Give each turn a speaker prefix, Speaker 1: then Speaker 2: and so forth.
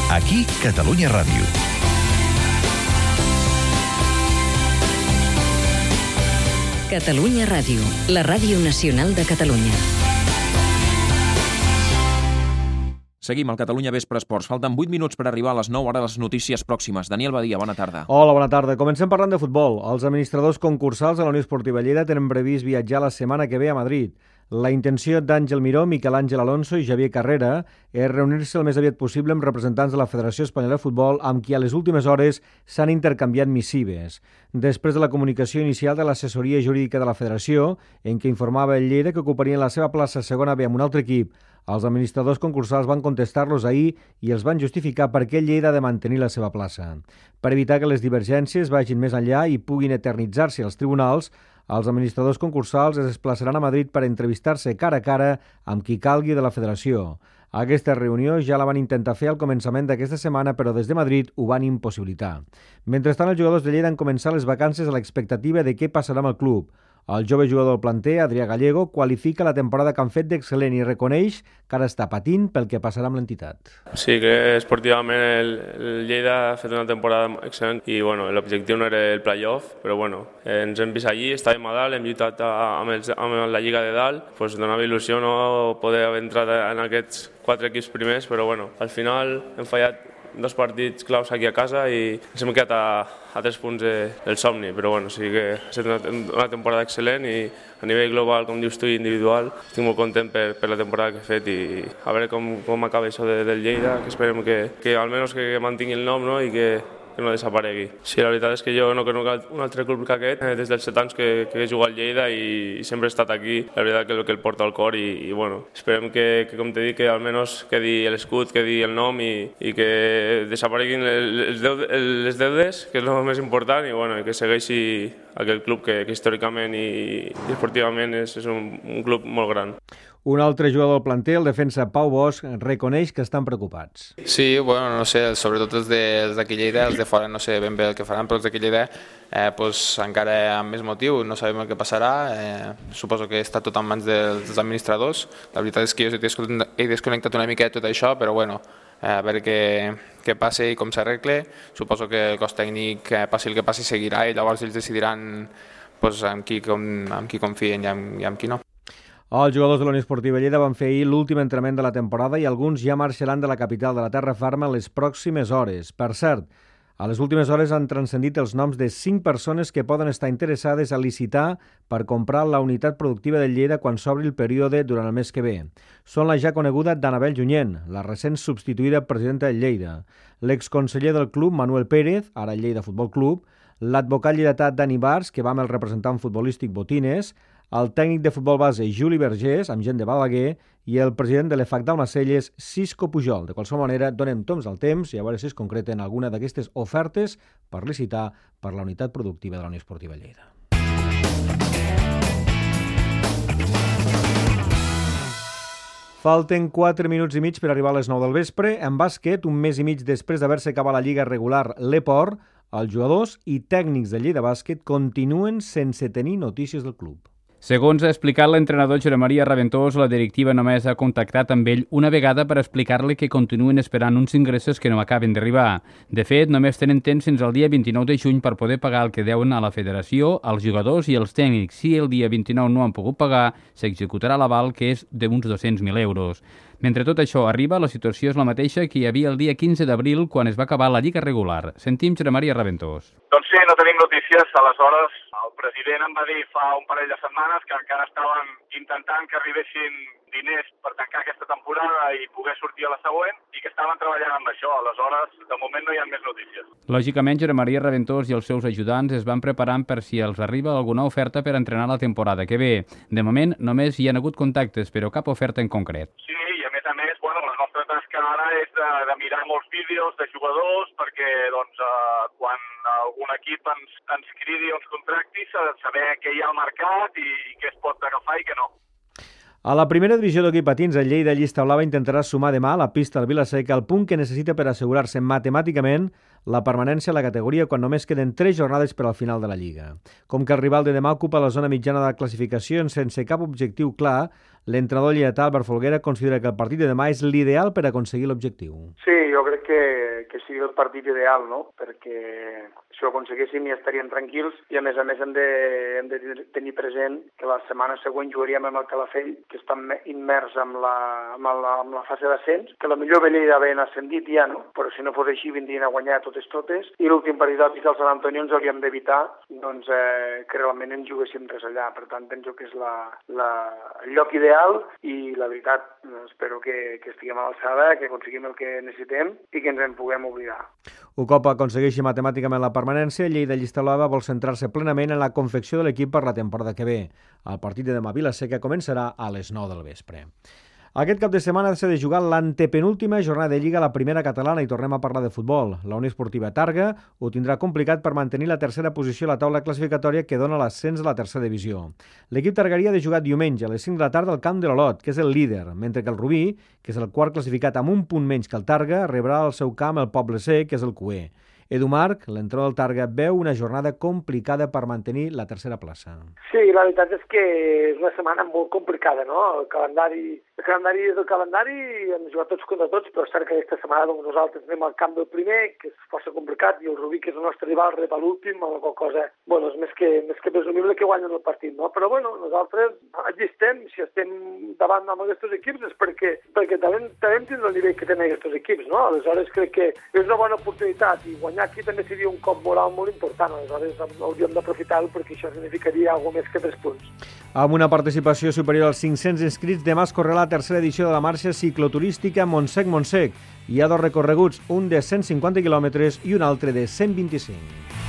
Speaker 1: Aquí, Catalunya Ràdio.
Speaker 2: Catalunya Ràdio, la ràdio nacional de Catalunya.
Speaker 3: Seguim al Catalunya Vespre Esports. Falten 8 minuts per arribar a les 9, ara les notícies pròximes. Daniel Badia, bona tarda.
Speaker 4: Hola, bona tarda. Comencem parlant de futbol. Els administradors concursals de la Unió Esportiva Lleida tenen previst viatjar la setmana que ve a Madrid. La intenció d'Àngel Miró, Miquel Àngel Alonso i Javier Carrera és reunir-se el més aviat possible amb representants de la Federació Espanyola de Futbol amb qui a les últimes hores s'han intercanviat missives. Després de la comunicació inicial de l'assessoria jurídica de la Federació, en què informava el Lleida que ocuparien la seva plaça segona B amb un altre equip, els administradors concursals van contestar-los ahir i els van justificar per què Lleida ha de mantenir la seva plaça. Per evitar que les divergències vagin més enllà i puguin eternitzar-se als tribunals, els administradors concursals es desplaçaran a Madrid per entrevistar-se cara a cara amb qui calgui de la federació. Aquesta reunió ja la van intentar fer al començament d'aquesta setmana, però des de Madrid ho van impossibilitar. Mentrestant, els jugadors de Lleida han començat les vacances a l'expectativa de què passarà amb el club. El jove jugador del planter, Adrià Gallego, qualifica la temporada que han fet d'excel·lent i reconeix que ara està patint pel que passarà amb l'entitat.
Speaker 5: Sí, que esportivament el Lleida ha fet una temporada excel·lent i l'objectiu no era el play-off, però ens hem vist allí, estàvem a dalt, hem lluitat amb la Lliga de dalt, donava il·lusió no poder haver entrat en aquests 4 equips primers, però al final hem fallat 2 partits claus aquí a casa i ens hem quedat a 3 punts del somni, però sí que ha estat una temporada excel·lent i a nivell global, com dius tu, i individual, estic molt content per la temporada que he fet i a veure com acaba això del Lleida, que esperem que almenys que mantingui el nom i que no desaparegui. Sí, la veritat és que jo no conec un altre club que aquest, des dels 7 anys que he jugat al Lleida i sempre he estat aquí, la veritat que és el que el porta al cor i esperem que, com t'he dit, que almenys quedi l'escut, quedi el nom i que desapareguin les deudes, que és el més important, i que segueixi aquell club que històricament i esportivament és un club molt gran.
Speaker 4: Un altre jugador del planter, el defensa Pau Bosch, reconeix que estan preocupats.
Speaker 6: Sí, no sé, sobretot els d'aquí Lleida, els de fora no sé ben bé el que faran, però els d'aquí Lleida encara amb més motiu, no sabem el que passarà, suposo que està tot en mans dels administradors. La veritat és que jo he desconnectat una mica de tot això, però a veure què passa i com s'arregle. Suposo que el cos tècnic, passi el que passi, seguirà i llavors ells decidiran amb qui confien i amb qui no.
Speaker 4: Els jugadors de la Unió Esportiva Lleida van fer ahir l'últim entrenament de la temporada i alguns ja marxaran de la capital de la terra ferma en les pròximes hores. Per cert, a les últimes hores han transcendit els noms de 5 persones que poden estar interessades a licitar per comprar la unitat productiva de Lleida quan s'obri el període durant el mes que ve. Són la ja coneguda d'Anabel Junyent, la recent substituïda presidenta de Lleida, l'exconseller del club Manuel Pérez, ara Lleida Futbol Club, l'advocat lleidatà Dani Bars, que va amb el representant futbolístic Botines, el tècnic de futbol base Juli Vergés, amb gent de Balaguer, i el president de l'EFAC d'Almacelles, Cisco Pujol. De qualsevol manera, donem toms al temps i a veure si es concreten alguna d'aquestes ofertes per licitar per la unitat productiva de la Unió Esportiva Lleida. Falten 4 minuts i mig per arribar a les 9 del vespre. En bàsquet, un mes i mig després d'haver-se acabat la lliga regular l'Eport, els jugadors i tècnics de Lleida Bàsquet continuen sense tenir notícies del club.
Speaker 7: Segons ha explicat l'entrenador Josep Maria Raventós, la directiva només ha contactat amb ell una vegada per explicar-li que continuen esperant uns ingressos que no acaben d'arribar. De fet, només tenen temps fins al dia 29 de juny per poder pagar el que deuen a la federació, als jugadors i als tècnics. Si el dia 29 no han pogut pagar, s'executarà l'aval, que és d'uns 200.000 euros. Mentre tot això arriba, la situació és la mateixa que hi havia el dia 15 d'abril, quan es va acabar la lliga regular. Sentim Josep Maria Raventós.
Speaker 8: Doncs sí, no tenim notícies. Aleshores, el president em va dir fa un parell de setmanes que encara estaven intentant que arribessin diners per tancar aquesta temporada i poder sortir a la següent i que estaven treballant amb això. Aleshores, de moment no hi ha més notícies.
Speaker 7: Lògicament, Josep Maria Raventós i els seus ajudants es van preparant per si els arriba alguna oferta per entrenar la temporada que ve. De moment, només hi ha hagut contactes, però cap oferta en concret.
Speaker 8: Sí, i a més, la nostra tasca ara és de mirar molts vídeos de jugadors perquè quan algun equip ens cridi o ens contracti, saber què hi ha al mercat i què es pot agafar i què no.
Speaker 4: A la primera divisió d'hoquei patins, el Lleida Llista Blava intentarà sumar demà a la pista del Vila-seca el punt que necessita per assegurar-se matemàticament la permanència a la categoria quan només queden 3 jornades per al final de la Lliga. Com que el rival de demà ocupa la zona mitjana de classificació sense cap objectiu clar, l'entrenador lleidatà Albert Folguera considera que el partit de demà és l'ideal per aconseguir l'objectiu.
Speaker 1: Sí, jo crec que sigui el partit ideal, no? Perquè si ho aconseguéssim ja estaríem tranquils i a més hem de tenir present que la setmana següent jugaríem amb el Calafell, que està immers amb la fase d'ascens, que la millor Lleida ben ascendit ja, no? Però si no fos així vindrien a guanyar totes, i l'últim partit del Sant Antoni ens hauríem d'evitar doncs, que realment ens juguéssim res allà. Per tant, penso que és el lloc ideal i la veritat, espero que estiguem a l'alçada, que aconseguim el que necessitem i que ens en puguem oblidar.
Speaker 4: Un cop aconsegueixi matemàticament la permanència, Lleida Llista Blava vol centrar-se plenament en la confecció de l'equip per la temporada que ve. El partit de demà a Vila-seca començarà a les 9 del vespre. Aquest cap de setmana s'ha de jugar l'antepenúltima jornada de Lliga a la primera catalana i tornem a parlar de futbol. La Unió Esportiva Targa ho tindrà complicat per mantenir la tercera posició a la taula classificatòria que dona l'ascens a la tercera divisió. L'equip targarí ha de jugar diumenge a les 5 de la tarda al camp de l'Olot, que és el líder, mentre que el Rubí, que és el quart classificat amb un punt menys que el Targa, rebrà al seu camp el Poble Sec, que és el Cuer. Edu Marc, l'entrenador del Targa, veu una jornada complicada per mantenir la tercera plaça.
Speaker 9: Sí, la veritat és que és una setmana molt complicada, no? El calendari és el calendari i hem de jugar tots contra tots, però és cert que aquesta setmana doncs, nosaltres anem al camp del primer, que és força complicat, i el Rubí, que és el nostre rival, rep a l'últim, amb la qual cosa, bueno, és més que presumible que guanyen el partit, no? Però bueno, nosaltres allí estem, si estem davant amb aquests equips és perquè també tindrem el nivell que tenen aquests equips, no? Aleshores crec que és una bona oportunitat i guanyar aquí també seria un cop moral molt important, aleshores hauríem d'aprofitar-ho perquè això significaria alguna més que 3 punts.
Speaker 4: Amb una participació superior als 500 inscrits, demà es correrà la tercera edició de la marxa cicloturística Montsec-Montsec. Hi ha 2 recorreguts, un de 150 quilòmetres i un altre de 125.